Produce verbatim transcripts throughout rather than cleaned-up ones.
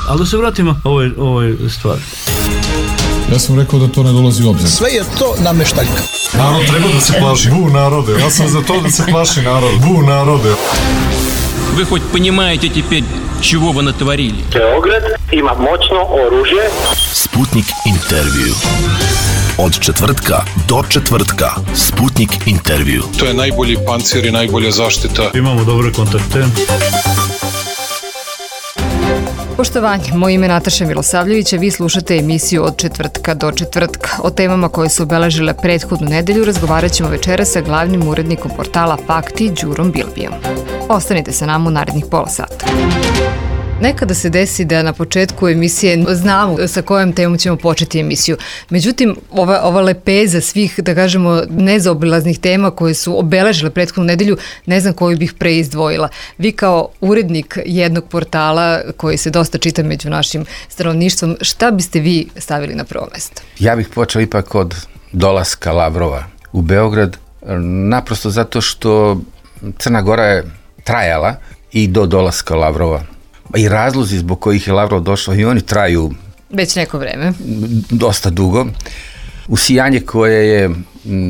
Ali da se vratimo ovoj, ovoj stvari. Ja sam rekao da to ne dolazi u obzir. Sve je to nameštaljka. Narod treba da se plaši. Bu narode. Ja sam za to da se plaši narod. Bu narode. Вы хоть понимаете теперь, чего вы натворили? Beograd ima moćno oružje. Sputnik intervju. Od četvrtka do četvrtka. Sputnik intervju. To je najbolji pancir i najbolja zaštita. Imamo dobre kontakte. Poštovanje, moje ime je Nataša Milosavljević, a vi slušate emisiju Od četvrtka do četvrtka. O temama koje su obeležile prethodnu nedelju razgovarat ćemo večeras sa glavnim urednikom portala Fakti, Đurom Bilbijom. Ostanite sa nama u narednih pola sata. Nekada se desi da na početku emisije znamo sa kojom temom ćemo početi emisiju. Međutim, ova, ova lepeza svih, da kažemo, nezaobilaznih tema koje su obeležile prethodnu nedelju, ne znam koju bih preizdvojila. Vi kao urednik jednog portala koji se dosta čita među našim stanovništvom, šta biste vi stavili na prvo mesto? Ja bih počeo ipak od dolaska Lavrova u Beograd, naprosto zato što Crna Gora je trajala i do dolaska Lavrova. I razlozi zbog kojih je Lavrov došao i oni traju već neko vreme. Dosta dugo. Usijanje koje je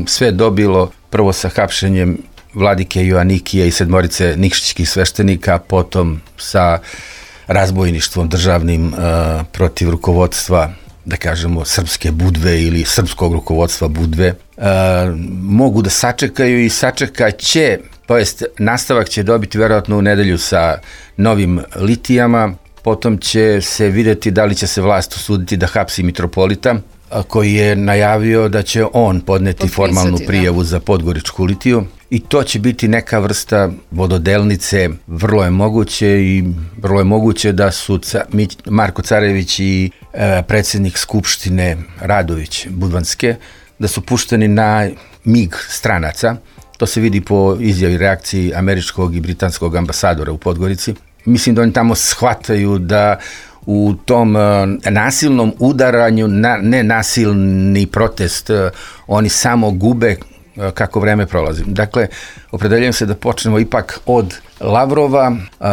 sve dobilo prvo sa hapšenjem vladike Joanikija i sedmorice nikšićkih sveštenika, potom sa razbojništvom državnim uh, protiv rukovodstva, da kažemo, srpske Budve ili srpskog rukovodstva Budve, uh, mogu da sačekaju i sačekat će, to jest nastavak će dobiti verovatno u nedelju sa novim litijama, potom će se vidjeti da li će se vlast usuditi da hapsi mitropolita, koji je najavio da će on podneti Potpisati, formalnu prijavu da. za Podgoričku litiju i to će biti neka vrsta vododelnice, vrlo je moguće i vrlo je moguće da su Marko Carević i e, predsjednik Skupštine Radović Budvanske, da su pušteni na mig stranaca. To se vidi po izjavi reakciji američkog i britanskog ambasadora u Podgorici. Mislim da oni tamo shvataju da u tom uh, nasilnom udaranju na nenasilni protest uh, oni samo gube uh, kako vreme prolazi. Dakle, opredeljujem se da počnemo ipak od Lavrova. Uh,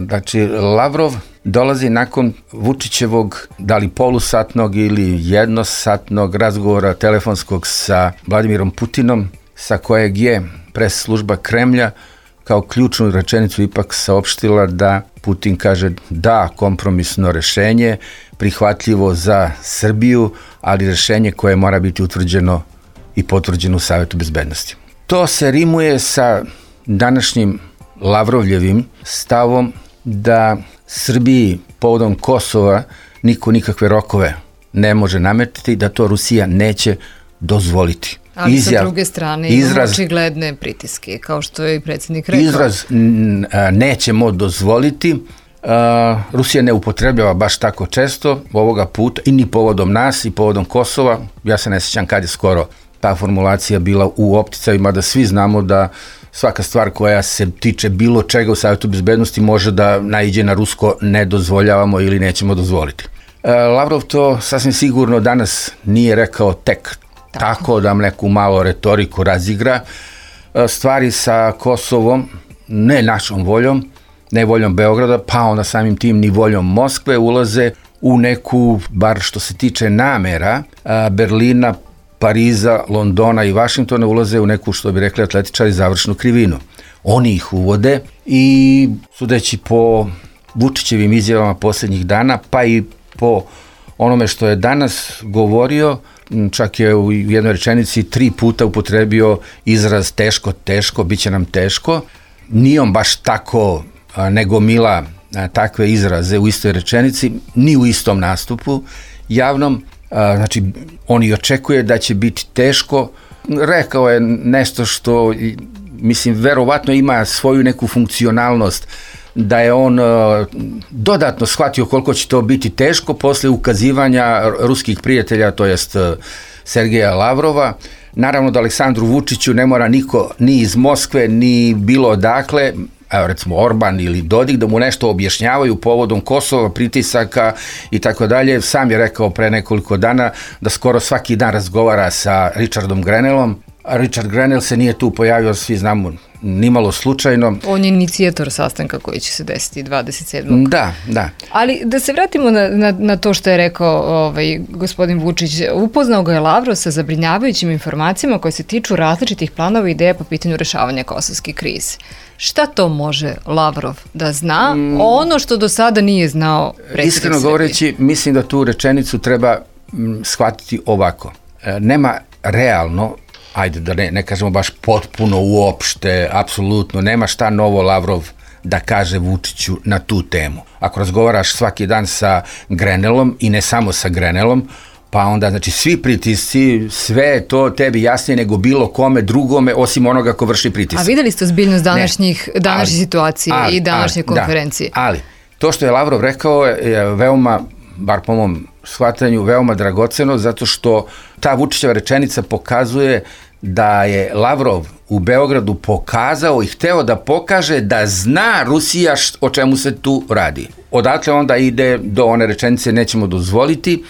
znači, Lavrov dolazi nakon Vučićevog, da li polusatnog ili jednosatnog razgovora telefonskog sa Vladimirom Putinom, sa kojeg je pres služba Kremlja kao ključnu rečenicu ipak saopštila da Putin kaže da, kompromisno rešenje, prihvatljivo za Srbiju, ali rešenje koje mora biti utvrđeno i potvrđeno u Savetu bezbednosti. To se rimuje sa današnjim Lavrovljevim stavom da Srbiji povodom Kosova niko nikakve rokove ne može nametiti, da to Rusija neće dozvoliti. Ali Izjav, sa druge strane imamo očigledne pritiske, kao što je i predsjednik rekao. Izraz n, a, nećemo dozvoliti, a, Rusija ne upotrebljava baš tako često ovoga puta i ni povodom nas i povodom Kosova. Ja se ne sjećam kad je skoro ta formulacija bila u opticaju, mada svi znamo da svaka stvar koja se tiče bilo čega u Savjetu bezbednosti može da naiđe na rusko ne dozvoljavamo ili nećemo dozvoliti. A, Lavrov to sasvim sigurno danas nije rekao tek Tako. Tako da neku malo retoriku razigra. Stvari sa Kosovom, ne našom voljom, ne voljom Beograda, pa onda samim tim ni voljom Moskve, ulaze u neku, bar što se tiče namera, Berlina, Pariza, Londona i Vašingtona, ulaze u neku, što bi rekli atletičari, završnu krivinu. Oni ih uvode i sudeći po Vučićevim izjavama posljednjih dana, pa i po onome što je danas govorio, čak je u jednoj rečenici tri puta upotrebio izraz teško, teško, bit će nam teško. Nije on baš tako nego mila takve izraze u istoj rečenici, ni u istom nastupu javnom. Znači, on i očekuje da će biti teško. Rekao je nešto što, mislim, verovatno ima svoju neku funkcionalnost, da je on uh, dodatno shvatio koliko će to biti teško posle ukazivanja ruskih prijatelja, to jest uh, Sergeja Lavrova. Naravno da Aleksandru Vučiću ne mora niko ni iz Moskve, ni bilo odakle, evo recimo Orban ili Dodik, da mu nešto objašnjavaju povodom Kosova, pritisaka i tako dalje. Sam je rekao pre nekoliko dana da skoro svaki dan razgovara sa Richardom Grenellom. A Richard Grenell se nije tu pojavio, svi znamo nimalo slučajno. On je inicijator sastanka koji će se desiti dvadeset sedmog Da, da. Ali da se vratimo na, na, na to što je rekao ovaj, gospodin Vučić. Upoznao ga je Lavrov sa zabrinjavajućim informacijama koje se tiču različitih planova i ideja po pitanju rešavanja kosovske krize. Šta to može Lavrov da zna? Mm. Ono što do sada nije znao predsjednik Iskreno Srbije. govoreći, mislim da tu rečenicu treba m, shvatiti ovako. E, nema realno, ajde da ne, ne kažemo baš potpuno uopšte, apsolutno, nema šta novo Lavrov da kaže Vučiću na tu temu. Ako razgovaraš svaki dan sa Grenelom i ne samo sa Grenelom, pa onda, znači, svi pritisci, sve je to tebi jasnije nego bilo kome drugome, osim onoga ko vrši pritisak. A videli ste ozbiljnost današnjih, današnje situacije ali, i današnje ali, konferencije? Da, ali, to što je Lavrov rekao je veoma, bar po mom shvatanju, veoma dragoceno, zato što ta Vučićeva rečenica pokazuje da je Lavrov u Beogradu pokazao i hteo da pokaže da zna Rusija št, o čemu se tu radi. Odatle onda ide do one rečenice nećemo dozvoliti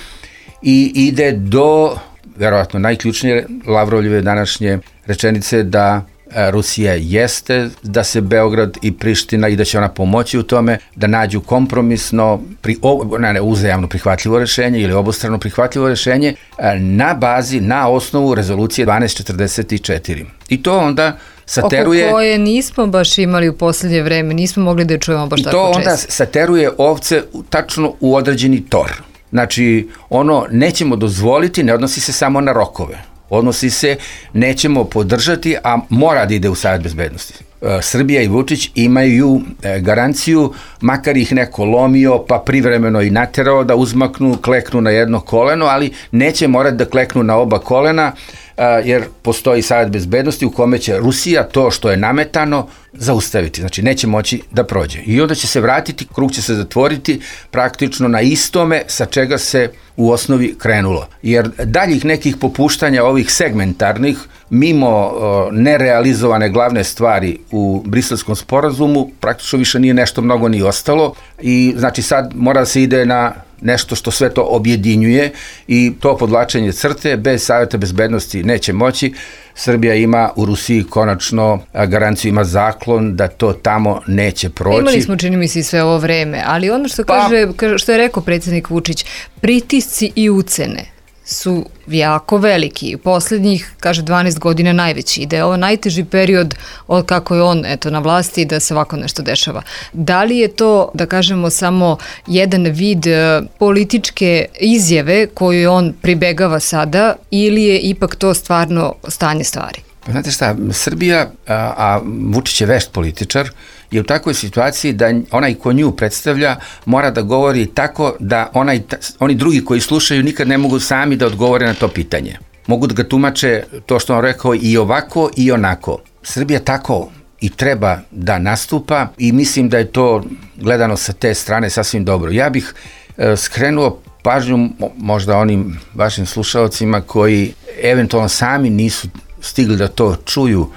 i ide do, verovatno najključnije Lavrovljeve današnje rečenice da Rusija jeste da se Beograd i Priština i da će ona pomoći u tome da nađu kompromisno, pri, o, ne, ne, uzajamno prihvatljivo rešenje ili obostrano prihvatljivo rešenje na bazi, na osnovu rezolucije dvanaest četrdeset četiri. I to onda sateruje... Oko koje nismo baš imali u poslednje vreme, nismo mogli da je čujemo baš tako često. I to onda sateruje ovce tačno u određeni tor. Znači, ono nećemo dozvoliti, ne odnosi se samo na rokove. Odnosi se, nećemo podržati, a mora da ide u Savet bezbednosti. Srbija i Vučić imaju garanciju, makar ih neko lomio, pa privremeno i naterao da uzmaknu, kleknu na jedno koleno, ali neće morati da kleknu na oba kolena, jer postoji Savet bezbednosti u kome će Rusija to što je nametano zaustaviti, znači neće moći da prođe. I onda će se vratiti, krug će se zatvoriti praktično na istome sa čega se u osnovi krenulo. Jer daljih nekih popuštanja ovih segmentarnih, mimo o, nerealizovane glavne stvari u Briselskom sporazumu, praktično više nije nešto mnogo ni ostalo i znači sad mora da se ide na nešto što sve to objedinjuje i to podvlačenje crte bez Saveta bezbednosti neće moći. Srbija ima u Rusiji konačno garanciju, ima zaklon da to tamo neće proći. Imali smo, čini mi se, i sve ovo vreme, ali ono što, pa, kaže, što je rekao predsjednik Vučić, pritisci i ucene su jako veliki. Poslednjih, kaže, dvanaest godina najveći. Da je ovo najteži period od kako je on eto, na vlasti da se ovako nešto dešava. Da li je to, da kažemo, samo jedan vid političke izjave koju on pribegava sada ili je ipak to stvarno stanje stvari? Pa znate šta, Srbija, a, a Vučić je vešt političar, je u takvoj situaciji da onaj ko nju predstavlja mora da govori tako da onaj, oni drugi koji slušaju nikad ne mogu sami da odgovore na to pitanje. Mogu da ga tumače to što on rekao i ovako i onako. Srbija tako i treba da nastupa i mislim da je to gledano sa te strane sasvim dobro. Ja bih e, skrenuo pažnju možda onim vašim slušalcima koji eventualno sami nisu stigli da to čuju.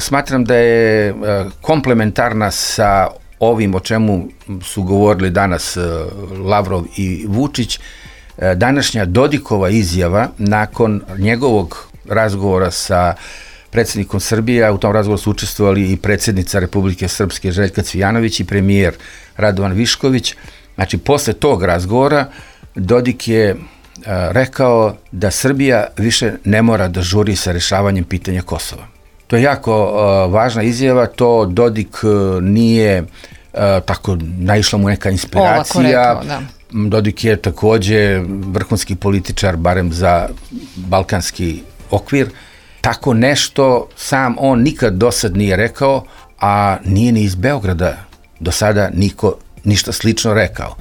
Smatram da je komplementarna sa ovim o čemu su govorili danas Lavrov i Vučić, današnja Dodikova izjava nakon njegovog razgovora sa predsjednikom Srbije, u tom razgovoru su učestvovali i predsjednica Republike Srpske Željka Cvijanović i premijer Radovan Višković. Znači, posle tog razgovora Dodik je rekao da Srbija više ne mora da žuri sa rešavanjem pitanja Kosova. To je jako uh, važna izjava, to Dodik uh, nije uh, tako, naišla mu neka inspiracija. Rekao, da. Dodik je takođe vrhunski političar, barem za balkanski okvir. Tako nešto sam on nikad do sad nije rekao, a nije ni iz Beograda do sada niko ništa slično rekao.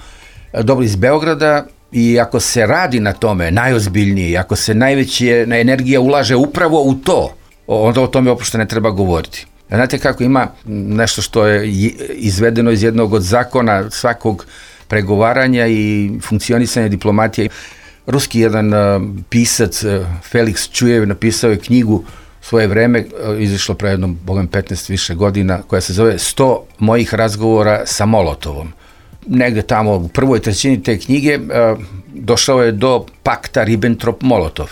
Dobro, iz Beograda, i ako se radi na tome najozbiljnije, ako se najveća energija ulaže upravo u to, onda o tome uopšte ne treba govoriti. Znate kako ima nešto što je izvedeno iz jednog od zakona svakog pregovaranja i funkcionisanja diplomatije. Ruski jedan pisac, Felix Čujev, napisao je knjigu svoje vreme, izašlo pre jednom, bogom, petnaest više godina, koja se zove sto mojih razgovora sa Molotovom. Negde tamo u prvoj trećini te knjige došao je do pakta Ribbentrop-Molotov.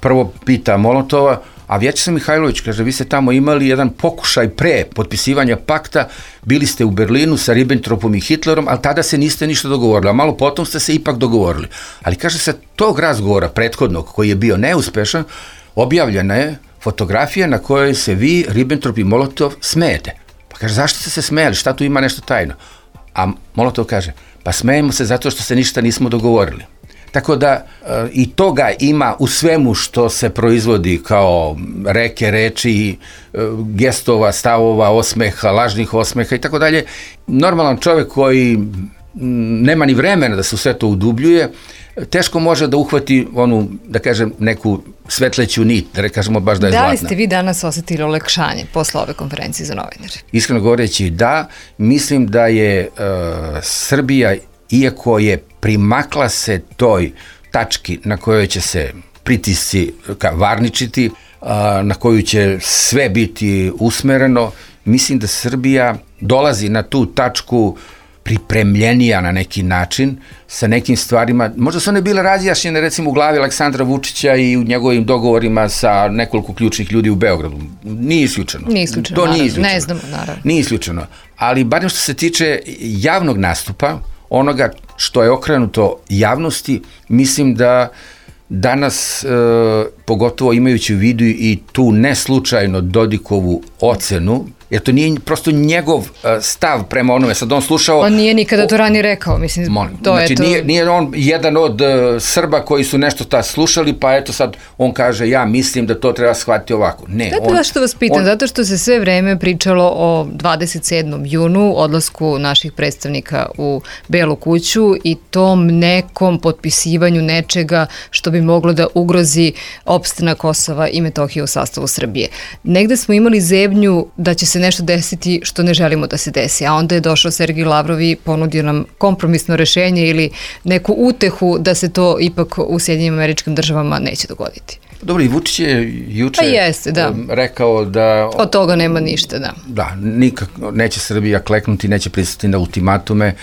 Prvo pita Molotova, A Vjačeslav Mihajlović kaže, vi ste tamo imali jedan pokušaj pre potpisivanja pakta, bili ste u Berlinu sa Ribbentropom i Hitlerom, ali tada se niste ništa dogovorili, a malo potom ste se ipak dogovorili. Ali kaže, sa tog razgovora prethodnog, koji je bio neuspešan, objavljena je fotografija na kojoj se vi, Ribbentrop i Molotov, smejete. Pa kaže, zašto ste se smejali, šta tu ima nešto tajno? A Molotov kaže, pa smejemo se zato što se ništa nismo dogovorili. Tako da e, i toga ima u svemu što se proizvodi kao reke, reči, e, gestova, stavova, osmeha, lažnih osmeha i tako dalje. Normalan čovjek koji m, nema ni vremena da se u sve to udubljuje, teško može da uhvati onu, da kažem, neku svetleću nit, da ne kažemo baš da je da zlatna. Da li ste vi danas osjetili olakšanje posle ove konferencije za novinare? Iskreno govoreći da, mislim da je uh, Srbija, iako je primakla se toj tački na kojoj će se pritisci varničiti, uh, na koju će sve biti usmereno, mislim da Srbija dolazi na tu tačku pripremljenija na neki način, sa nekim stvarima, možda su one bile razjašnjene recimo u glavi Aleksandra Vučića i u njegovim dogovorima sa nekoliko ključnih ljudi u Beogradu. Nije isključeno. Nije isključeno, to naravno. Nije isključeno. Ne znamo, naravno. Nije isključeno. Ali barem što se tiče javnog nastupa, onoga što je okrenuto javnosti, mislim da danas, e, pogotovo imajući u vidu i tu neslučajno Dodikovu ocenu, jer to nije prosto njegov stav prema onome, sad on slušao... On nije nikada to ranije rekao, mislim, molim, to znači, je to... Nije, nije on jedan od uh, Srba koji su nešto ta slušali, pa eto sad on kaže, ja mislim da to treba shvatiti ovako. Ne, Znate on... zašto vas pitam? On... Zato što se sve vreme pričalo o dvadeset sedmom junu, odlasku naših predstavnika u Belu kuću i tom nekom potpisivanju nečega što bi moglo da ugrozi opstanak Kosova i Metohije u sastavu Srbije. Negde smo imali zebnju da će se nešto desiti što ne želimo da se desi, a onda je došao Sergej Lavrov i ponudio nam kompromisno rešenje ili neku utehu da se to ipak u Sjedinjenim Američkim Državama neće dogoditi. Dobro, i Vučić je juče pa jeste, da. rekao da... Od toga nema ništa, da. Da, nikako neće Srbija kleknuti, neće pristati na ultimatume.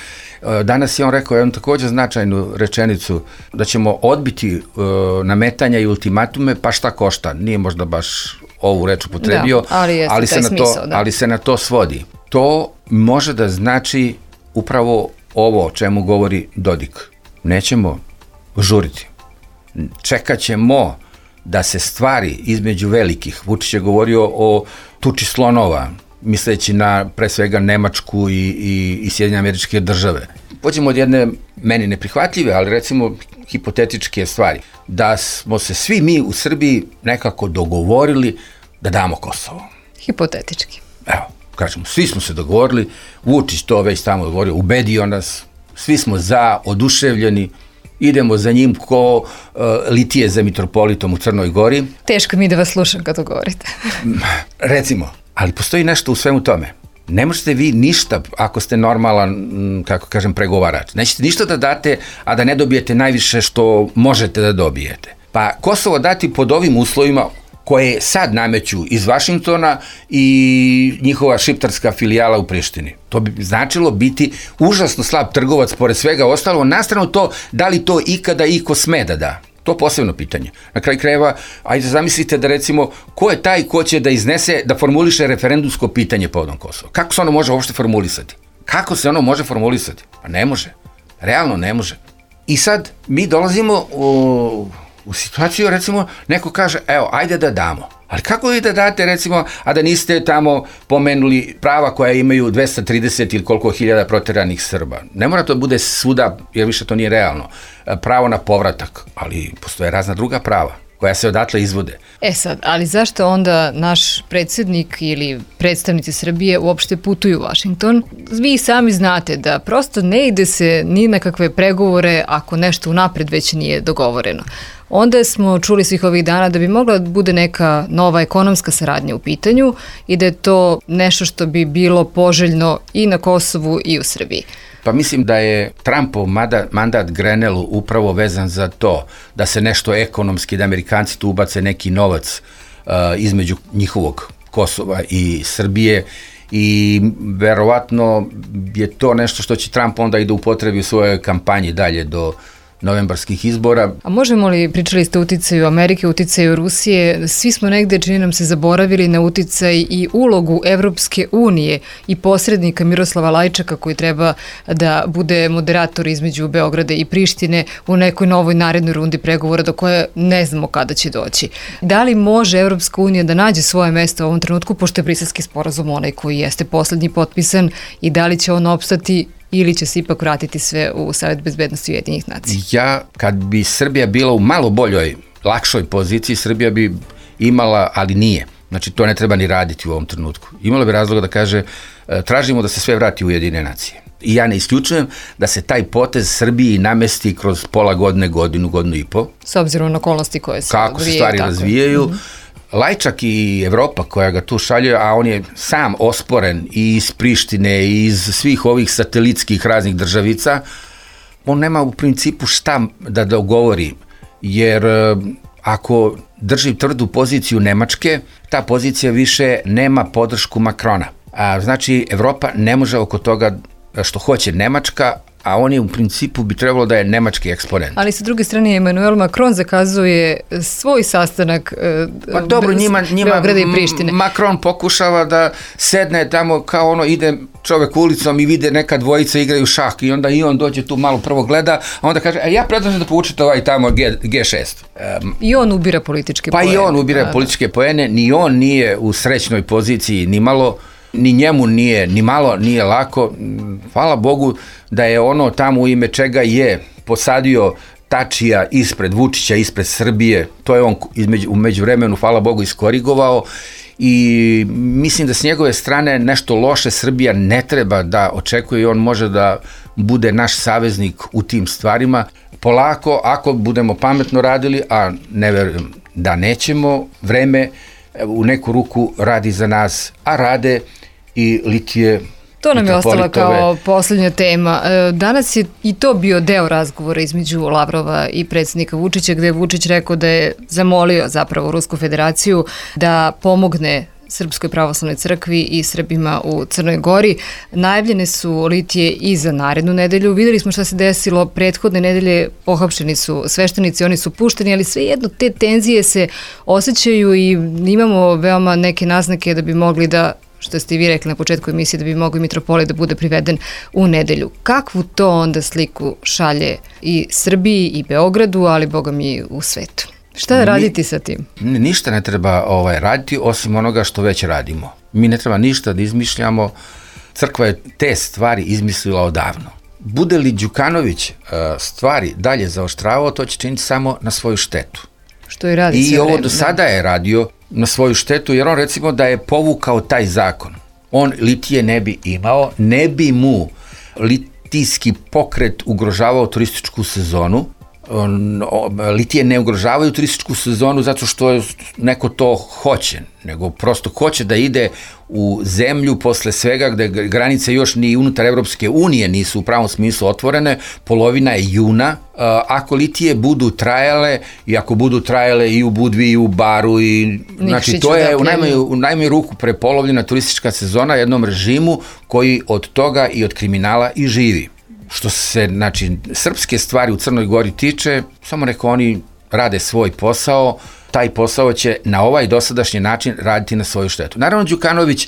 Danas je on rekao jednu također značajnu rečenicu, da ćemo odbiti uh, nametanja i ultimatume, pa šta košta. Nije možda baš ovu reč upotrebio, da, ali, jeste, ali, se na smisao, to, da. ali se na to svodi. To može da znači upravo ovo o čemu govori Dodik. Nećemo žuriti. Čekat ćemo da se stvari između velikih, Vučić je govorio o tuči slonova, misleći na pre svega Nemačku i, i, i Sjedinjene Američke Države. Pođemo od jedne meni neprihvatljive, ali recimo hipotetičke stvari. Da smo se svi mi u Srbiji nekako dogovorili da damo Kosovo. Hipotetički. Evo, kažemo, svi smo se dogovorili, Vučić to već tamo dogovorio, ubedio nas, svi smo za, oduševljeni, idemo za njim ko uh, litije za mitropolitom u Crnoj Gori. Teško mi da vas slušam kad to govorite. Recimo, ali postoji nešto u svemu tome. Ne možete vi ništa, ako ste normalan, kako kažem, pregovarač. Nećete ništa da date, a da ne dobijete najviše što možete da dobijete. Pa Kosovo dati pod ovim uslovima koje sad nameću iz Vašingtona i njihova šiptarska filijala u Prištini. To bi značilo biti užasno slab trgovac pored svega ostalo, nastrano to da li to ikada iko sme da da. To posebno pitanje. Na kraju krajeva, ajde zamislite da recimo, ko je taj ko će da iznese, da formuliše referendumsko pitanje povodom Kosova? Kako se ono može uopšte formulisati? Kako se ono može formulisati? Pa ne može. Realno ne može. I sad mi dolazimo u, u situaciju, recimo, neko kaže, evo, ajde da damo. Ali kako vi da date, recimo, a da niste tamo pomenuli prava koja imaju dvesta trideset ili koliko hiljada proteranih Srba? Ne mora to bude svuda, jer više to nije realno. Pravo na povratak, ali postoje razna druga prava koja se odatle izvode. E sad, ali zašto onda naš predsjednik ili predstavnici Srbije uopšte putuju u Washington? Vi sami znate da prosto ne ide se ni na kakve pregovore ako nešto unapred već nije dogovoreno. Onda smo čuli svih ovih dana da bi mogla da bude neka nova ekonomska saradnja u pitanju i da je to nešto što bi bilo poželjno i na Kosovu i u Srbiji. Pa mislim da je Trumpov mandat Grenelu upravo vezan za to da se nešto ekonomski, da Amerikanci tu ubace neki novac uh, između njihovog Kosova i Srbije i verovatno je to nešto što će Trump onda i da upotrebi u svojoj kampanji dalje do novembarskih izbora. A možemo li, pričali ste o uticaju Amerike, uticaju Rusije, svi smo negde, čini nam se, zaboravili na uticaj i ulogu Evropske unije i posrednika Miroslava Lajčaka koji treba da bude moderator između Beograda i Prištine u nekoj novoj narednoj rundi pregovora do koje ne znamo kada će doći. Da li može Evropska unija da nađe svoje mesto u ovom trenutku, pošto je Briselski sporazum onaj koji jeste poslednji potpisan, i da li će on opstati ili će se ipak vratiti sve u Savet bezbednosti Ujedinjenih nacija? Ja, kad bi Srbija bila u malo boljoj, lakšoj poziciji, Srbija bi imala, ali nije. Znači, to ne treba ni raditi u ovom trenutku. Imala bi razloga da kaže, tražimo da se sve vrati u Ujedinjene nacije. I ja ne isključujem da se taj potez Srbiji namesti kroz pola godine, godinu, godinu i po. S obzirom na okolnosti koje se kako se stvari tako razvijaju. Mm-hmm. Lajčak i Evropa koja ga tu šalje, a on je sam osporen i iz Prištine i iz svih ovih satelitskih raznih državica, on nema u principu šta da dogovori, jer ako drži tvrdu poziciju Nemačke, ta pozicija više nema podršku Makrona. A znači, Evropa ne može oko toga što hoće Nemačka, a on je u principu bi trebalo da je nemački eksponent. Ali sa druge strane Emmanuel Macron zakazuje svoj sastanak pa dobro, njima, njima Beograda i Prištine. Macron pokušava da sedne tamo kao ono ide čovek ulicom i vide neka dvojica igraju šah i onda i on dođe tu malo prvo gleda, a onda kaže, a ja predlažem da povučete ovaj tamo G šest. Um, I on ubira političke pa poene. Pa i on ubira da, političke poene, ni on nije u srećnoj poziciji, ni malo, ni njemu nije, ni malo nije lako. Hvala Bogu da je ono tamo u ime čega je posadio Tačija ispred Vučića, ispred Srbije, to je on između, u međuvremenu, hvala Bogu, iskorigovao i mislim da s njegove strane nešto loše Srbija ne treba da očekuje i on može da bude naš saveznik u tim stvarima. Polako, ako budemo pametno radili, a ne verujem da nećemo, vreme u neku ruku radi za nas, a rade i litije. To nam je ostala kao poslednja tema. Danas je i to bio deo razgovora između Lavrova i predsjednika Vučića, gde je Vučić rekao da je zamolio zapravo Rusku federaciju da pomogne Srpskoj pravoslavnoj crkvi i Srbima u Crnoj Gori. Najavljene su litije i za narednu nedelju. Videli smo šta se desilo prethodne nedelje, pohapšeni su sveštenici, oni su pušteni, ali svejedno te tenzije se osjećaju i imamo veoma neke naznake da bi mogli da, što ste i vi rekli na početku emisije, da bi mogli mitropolit da bude priveden u nedelju. Kakvu to onda sliku šalje i Srbiji i Beogradu, ali boga mi u svetu? Šta raditi sa tim? Ni, ništa ne treba ovaj, raditi osim onoga što već radimo. Mi ne treba ništa da izmišljamo. Crkva je te stvari izmislila odavno. Bude li Đukanović uh, stvari dalje zaoštravao, to će činiti samo na svoju štetu. Što i radi. I ovo do sada je radio na svoju štetu, jer on recimo da je povukao taj zakon. On litije ne bi imao, ne bi mu litijski pokret ugrožavao turističku sezonu. Litije ne ugrožavaju turističku sezonu zato što neko to hoće, nego prosto hoće da ide u zemlju posle svega gde granice još ni unutar Evropske unije nisu u pravom smislu otvorene, polovina je juna. Ako litije budu trajale i ako budu trajale i u Budvi i u Baru i znači to je u najmanju, u najmanju ruku prepolovljena turistička sezona jednom režimu koji od toga i od kriminala i živi. Što se, znači, srpske stvari u Crnoj Gori tiče, samo neko oni rade svoj posao, taj posao će na ovaj dosadašnji način raditi na svoju štetu. Naravno, Đukanović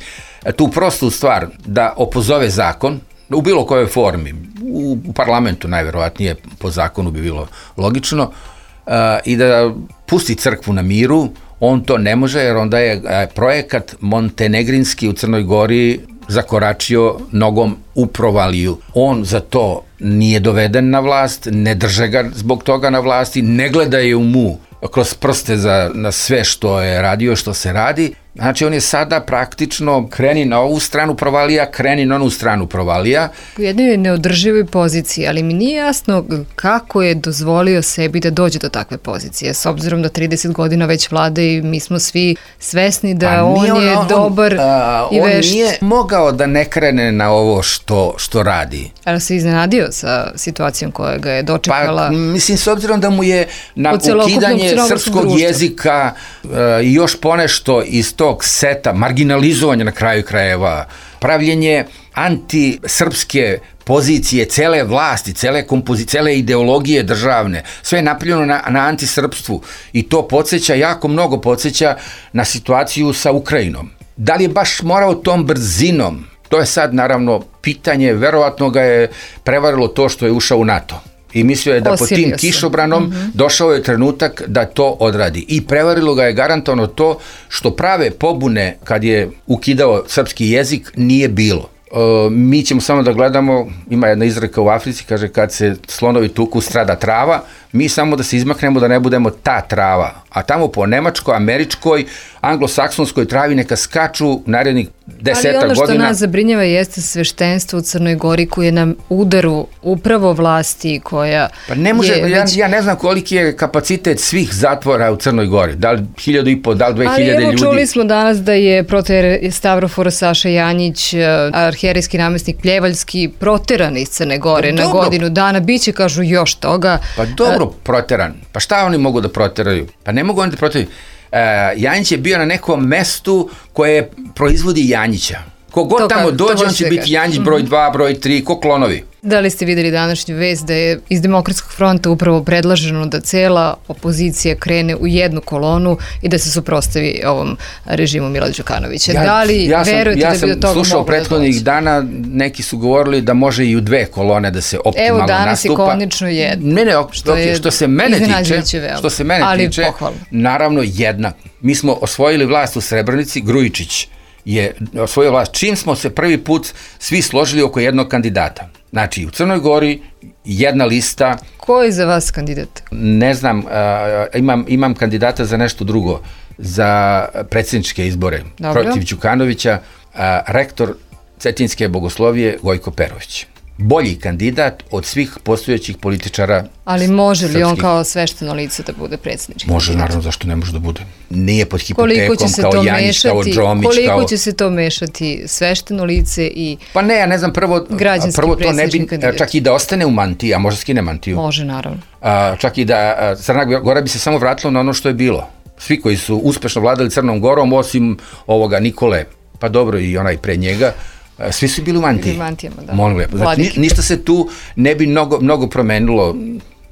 tu prostu stvar da opozove zakon, u bilo kojoj formi, u, u parlamentu najverovatnije po zakonu bi bilo logično, uh, i da pusti crkvu na miru, on to ne može jer onda je uh, projekat montenegrinski u Crnoj Gori zakoračio nogom u provaliju. On za to nije doveden na vlast, ne drže ga zbog toga na vlasti, ne gledaju mu kroz prste za, na sve što je radio, što se radi. Znači on je sada praktično kreni na ovu stranu provalija, kreni na onu stranu provalija. U jednoj neodrživoj poziciji, ali mi nije jasno kako je dozvolio sebi da dođe do takve pozicije, s obzirom da trideset godina već vlade i mi smo svi svesni da on, on je on, dobar a, i vešt. On nije mogao da ne krene na ovo što, što radi. Ali se iznenadio sa situacijom koja ga je dočekala. Pa mislim, s obzirom da mu je na ukidanje srpskog društva. Jezika i uh, još ponešto iz tog seta, marginalizovanja na kraju krajeva pravljenje antisrpske pozicije, cele vlasti, cele kompozicije, cele ideologije državne, sve je napravljeno na, na antisrpstvu i to podsjeća, jako mnogo podsjeća na situaciju sa Ukrajinom. Da li je baš morao tom brzinom? To je sad naravno pitanje, verovatno ga je prevarilo to što je ušao u NATO. I mislio je da pod tim kišobranom mm-hmm. došao je trenutak da to odradi. I prevarilo ga je garantovano to što prave pobune kad je ukidao srpski jezik nije bilo. E, mi ćemo samo da gledamo, ima jedna izreka u Africi, kaže kad se slonovi tuku strada trava, mi samo da se izmaknemo da ne budemo ta trava. A tamo po nemačkoj, američkoj, anglosaksonskoj travi neka skaču narednih desetak godina. Ali ono što nas zabrinjava jeste sveštenstvo u Crnoj Gori koje je na udaru upravo vlasti koja pa ne može, je ja, već... ja ne znam koliki je kapacitet svih zatvora u Crnoj Gori. Da li hiljadu i po, da li dve hiljade ljudi? Ali evo čuli smo danas da je proter Stavrofor Saša Janjić, arhijerijski namestnik Pljevaljski, proteran iz Crne Gore pa na dobro. godinu dana. Biće, kažu, još toga. Pa dobro, proteran. Pa šta oni mogu da proteraju? Pa ne mogu oni da proteraju. Uh, Janjić je bio na nekom mestu koje proizvodi Janjića. Kogod to tamo ka, dođe, on će biti kaži. Janjić broj dva, broj tri, ko klonovi. Da li ste videli današnju vest da je iz Demokratskog fronta upravo predlaženo da cela opozicija krene u jednu kolonu i da se suprotstavi ovom režimu Mila Đukanovića? Ja, da li ja sam, verujete ja da bi do toga moglo da dođe? Ja sam slušao prethodnih dana, neki su govorili da može i u dve kolone da se optimalno nastupa. Evo danas nastupa. je konačno jedna. Ne, ne, što, okay, što se mene tiče, što se mene ali tiče, pohvalno. Naravno jedna. Mi smo osvojili vlast u Srebrenici, Grujičić je osvojio vlast. Čim smo se prvi put svi složili oko jednog kandidata. Znači, u Crnoj Gori jedna lista. Ko je za vas kandidat? Ne znam, uh, imam, imam kandidata za nešto drugo, za predsjedničke izbore. Dobro. Protiv Đukanovića, uh, rektor Cetinjske bogoslovije Gojko Perović. Bolji kandidat od svih postojećih političara. Ali može li srpskih. On kao svešteno lice da bude predsjednički? Može, kandidat? Naravno, zašto ne može da bude? Nije pod hipotekom kao Janjić, kao Džomić. Koliko kao... će se to mešati svešteno lice i pa ne, ja ne znam, prvo, prvo to ne bi, kandidat. Čak i da ostane u mantiji, a može skine mantiju. Može, naravno. A, čak i da a, Crna Gora bi se samo vratila na ono što je bilo. Svi koji su uspešno vladali Crnom Gorom, osim ovoga Nikole, pa dobro i onaj pre njega, svi su bili u mantiji. Mantijama, da. Molim lepo. Znači, ni, ništa se tu ne bi mnogo, mnogo promenilo.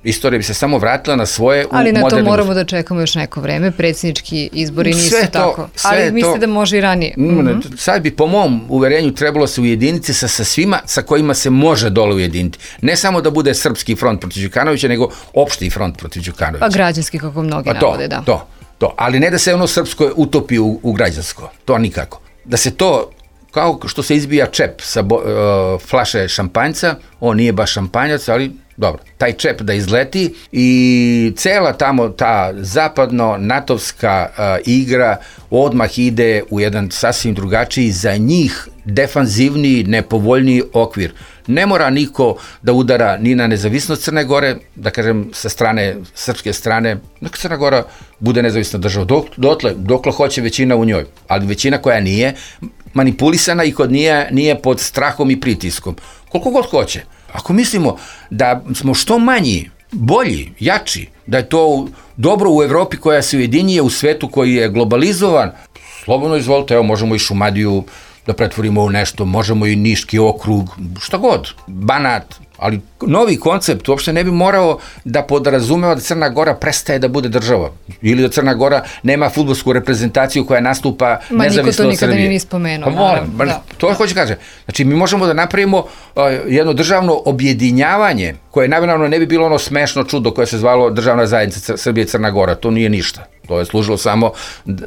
Istorija bi se samo vratila na svoje u ali na modernim... to moramo da čekamo još neko vreme. Predsjednički izbori nisu sve to, tako. Ali mislite da može i ranije? Mm-hmm. Sad bi po mom uverenju trebalo se ujediniti sa, sa svima sa kojima se može dole ujediniti. Ne samo da bude srpski front protiv Đukanovića, nego opšti front protiv Đukanovića. Pa građanski, kako mnogi pa to, navode, da. To, to. Ali ne da se ono srpsko utopi u, u građansko. To nikako. Da se to kao što se izbija čep sa bo, uh, flaše šampanjca, on nije baš šampanjac, ali dobro, taj čep da izleti i cela tamo ta zapadno-natovska uh, igra odmah ide u jedan sasvim drugačiji, za njih defanzivniji, nepovoljniji okvir. Ne mora niko da udara ni na nezavisnost Crne Gore, da kažem sa strane, srpske strane, neka Crna Gora bude nezavisna država. Dok, dotle, dokle hoće većina u njoj, ali većina koja nije manipulisana i kod nije, nije pod strahom i pritiskom. Koliko god hoće. Ako mislimo da smo što manji, bolji, jači, da je to dobro u Evropi koja se ujedinjuje, u svetu koji je globalizovan, slobodno izvolite, evo možemo i Šumadiju da pretvorimo u nešto, možemo i Niški okrug, šta god, Banat, ali novi koncept uopšte ne bi morao da podrazumeva da Crna Gora prestaje da bude država ili da Crna Gora nema fudbalsku reprezentaciju koja nastupa ma nezavisno od Srbije. Ma niko to nikada nije spomenuo. Pa moram, da. To hoće kaže. Znači mi možemo da napravimo uh, jedno državno objedinjavanje koje naravno ne bi bilo ono smešno čudo koje se zvalo državna zajednica Srbije i Crna Gora. To nije ništa. To je služilo samo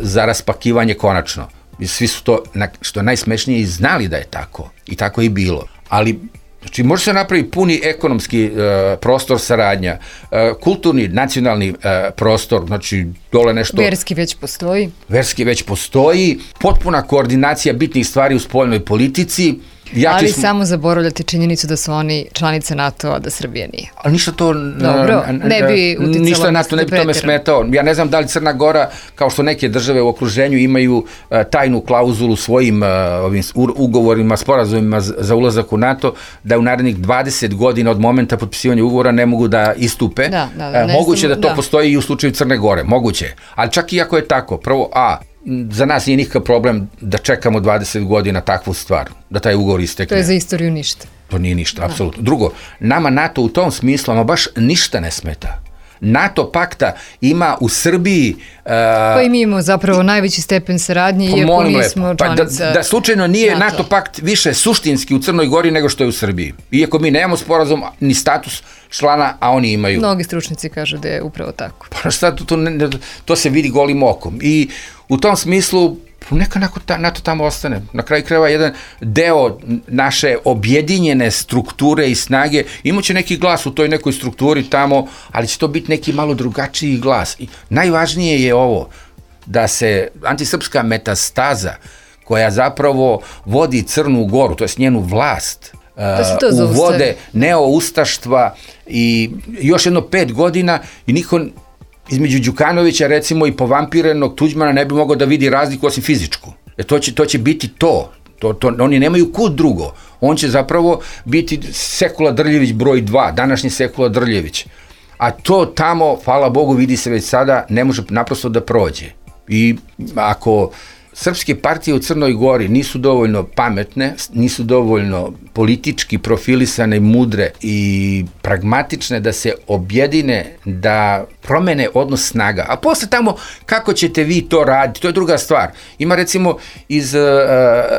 za raspakivanje konačno. I svi su to, što je najsmešnije, i znali da je tako. I tako je i bilo. Ali znači, može se napraviti puni ekonomski uh, prostor saradnja, uh, kulturni, nacionalni uh, prostor, znači dole nešto... Verski već postoji. Verski već postoji, potpuna koordinacija bitnih stvari u spoljnoj politici. Ja ali smo... samo zaboravljati činjenicu da su oni članice NATO-a, da Srbija nije. Ali ništa to... Dobro, ne bi uticalo... Ništa NATO ne bi tome smetao. Ja ne znam da li Crna Gora, kao što neke države u okruženju imaju uh, tajnu klauzulu svojim uh, ovim ugovorima, sporazumima za ulazak u NATO, da u narednih dvadeset godina od momenta potpisivanja ugovora ne mogu da istupe. Da, da, da, uh, moguće sam, da to da. postoji i u slučaju Crne Gore, moguće. Ali čak i ako je tako, prvo, a, za nas nije nikakav problem da čekamo dvadeset godina takvu stvar, da taj ugovor istekne. To je za istoriju ništa. To nije ništa, apsolutno. Drugo, nama NATO u tom smislu, ama baš ništa ne smeta. NATO pakta ima u Srbiji... Uh, pa i mi imamo zapravo najveći stepen saradnje, iako nismo članica... Pa da, da slučajno nije NATO. NATO pakt više suštinski u Crnoj Gori nego što je u Srbiji. Iako mi nemamo sporazum ni status člana, a oni imaju. Mnogi stručnici kažu da je upravo tako. Pa šta, to, to, to se vidi golim okom. I u tom smislu neka NATO tamo ostane. Na kraju krajeva jedan deo naše objedinjene strukture i snage imaće neki glas u toj nekoj strukturi tamo, ali će to biti neki malo drugačiji glas. I najvažnije je ovo, da se antisrpska metastaza koja zapravo vodi Crnu Goru, to je njenu vlast, uh, uvode neoustaštva i još jedno pet godina i niko između Đukanovića recimo i povampirenog Tuđmana ne bi mogao da vidi razliku osim fizičku. Jer to će, to će biti to. To, to. Oni nemaju kud drugo. On će zapravo biti Sekula Drljević broj dva, današnji Sekula Drljević. A to tamo, hvala Bogu, vidi se već sada, ne može naprosto da prođe. I ako srpske partije u Crnoj Gori nisu dovoljno pametne, nisu dovoljno politički profilisane, mudre i pragmatične da se objedine, da promene odnos snaga. A posle tamo kako ćete vi to raditi, to je druga stvar. Ima recimo iz uh,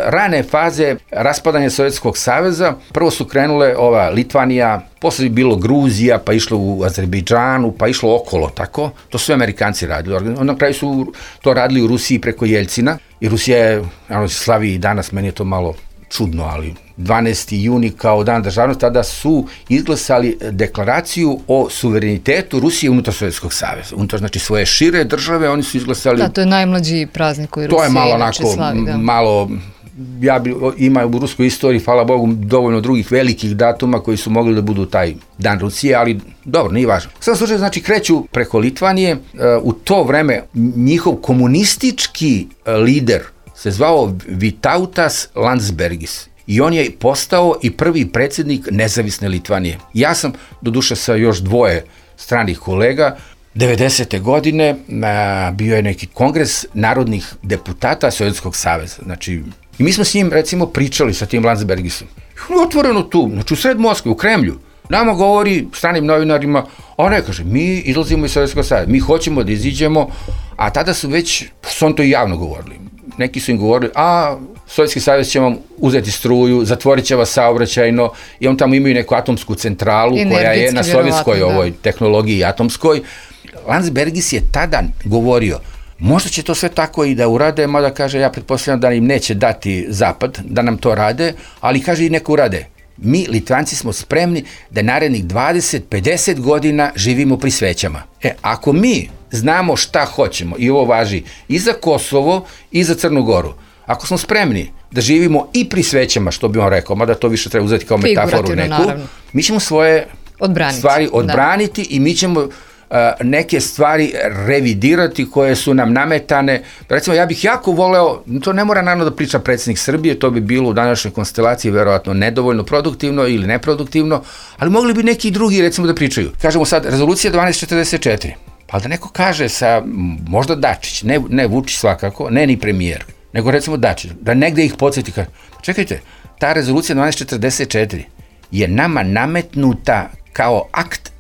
rane faze raspadanja Sovjetskog saveza, prvo su krenule ova Litvanija, posle je bilo Gruzija, pa išlo u Azerbejdžanu, pa išlo okolo, tako? To su Amerikanci radili. Na kraju su to radili u Rusiji preko Jeljcina. I Rusija je, ono se slavi i danas, meni je to malo čudno, ali dvanaesti juni kao dan državnosti, tada su izglasali deklaraciju o suverenitetu Rusije unutar Sovjetskog saveza. Unutar, znači, svoje šire države, oni su izglasali... Da, to je najmlađi praznik koji Rusija to je malo inače onako, slavi, da. malo... Ja bi, ima u ruskoj istoriji, hvala Bogu, dovoljno drugih velikih datuma koji su mogli da budu taj dan Rusije, ali dobro, nije važno. Sada slučaju, znači, kreću preko Litvanije, u to vreme njihov komunistički lider se zvao Vytautas Landsbergis i on je postao i prvi predsjednik nezavisne Litvanije. Ja sam, doduše sa još dvoje stranih kolega, devedesete godine a, bio je neki kongres narodnih deputata Sovjetskog saveza. Znači, i mi smo s njim, recimo, pričali sa tim Landsbergisom. Otvoreno tu, znači u sred Moskve, u Kremlju. Nama govori stranim novinarima, a ne, kaže, mi izlazimo iz Sovjetskog saveza, mi hoćemo da iziđemo, a tada su već, su on to i javno govorili. Neki su im govorili, a Sovjetski savez će vam uzeti struju, zatvorit će vas saobraćajno, i on tamo imaju neku atomsku centralu koja je na sovjetskoj ovoj tehnologiji atomskoj. Landsbergis je tada govorio, možda će to sve tako i da urade, mada kaže, ja pretpostavljam da im neće dati Zapad da nam to rade, ali kaže i neka urade. Mi, Litvanci, smo spremni da narednih dvadeset do pedeset godina živimo pri svećama. E, ako mi znamo šta hoćemo, i ovo važi i za Kosovo i za Crnu Goru, ako smo spremni da živimo i pri svećama, što bi on rekao, mada to više treba uzeti kao metaforu neku, naravno, mi ćemo svoje odbraniti, stvari odbraniti, da. I mi ćemo Uh, neke stvari revidirati koje su nam nametane. Recimo, ja bih jako voleo, to ne mora naravno da priča predsjednik Srbije, to bi bilo u današnjoj konstelaciji verovatno nedovoljno produktivno ili neproduktivno, ali mogli bi neki drugi, recimo, da pričaju. Kažemo sad, rezolucija dvanaest četrdeset četiri, pa da neko kaže sa, možda Dačić, ne, ne Vučić svakako, ne ni premijer, nego recimo Dačić, da negde ih podsjeti, kaže, čekajte, ta rezolucija dvanaest četrdeset četiri je nama nametnuta kao akt,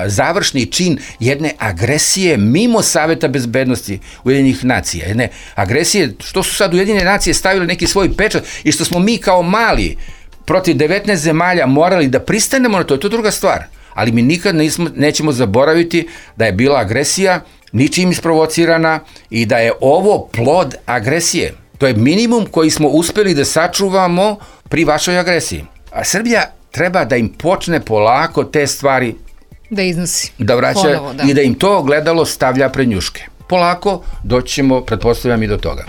završni čin jedne agresije mimo Saveta bezbednosti Ujedinjenih nacija, jedne agresije, što su sad Ujedinjene nacije stavili neki svoj pečat i što smo mi kao mali protiv devetnaest zemalja morali da pristanemo na to, to je druga stvar, ali mi nikad nismo, nećemo zaboraviti da je bila agresija ničim isprovocirana i da je ovo plod agresije. To je minimum koji smo uspeli da sačuvamo pri vašoj agresiji. A Srbija treba da im počne polako te stvari da iznosi. Da vraća ponovo, da. I da im to ogledalo stavlja pred njuške. Polako doći ćemo, pretpostavljam, i do toga.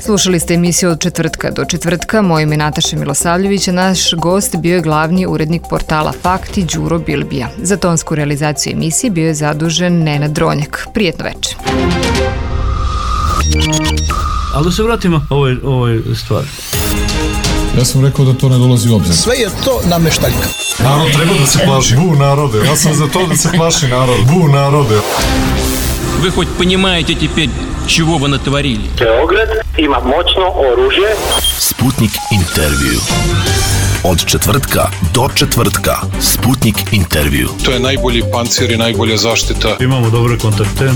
Slušali ste emisiju od četvrtka do četvrtka. Moje ime je Nataša Milosavljević, a naš gost bio je glavni urednik portala Fakti Đuro Bilbija. Za tonsku realizaciju emisije bio je zadužen Nenad Dronjak. Prijetno večer. Ali da se vratimo ovoj, ovoj stvari. Ja sam rekao da to ne dolazi u obzir. Sve je to nameštaljka. Narod treba da se plaši. Bu narode. Ja sam za to da se plaši narod. Bu narode. Вы хоть понимаете теперь, чего вы натворили. Beograd ima moćno oružje. Sputnik intervju. Od četvrtka do četvrtka. Sputnik intervju. To je najbolji pancir i najbolja zaštita. Imamo dobre kontakte.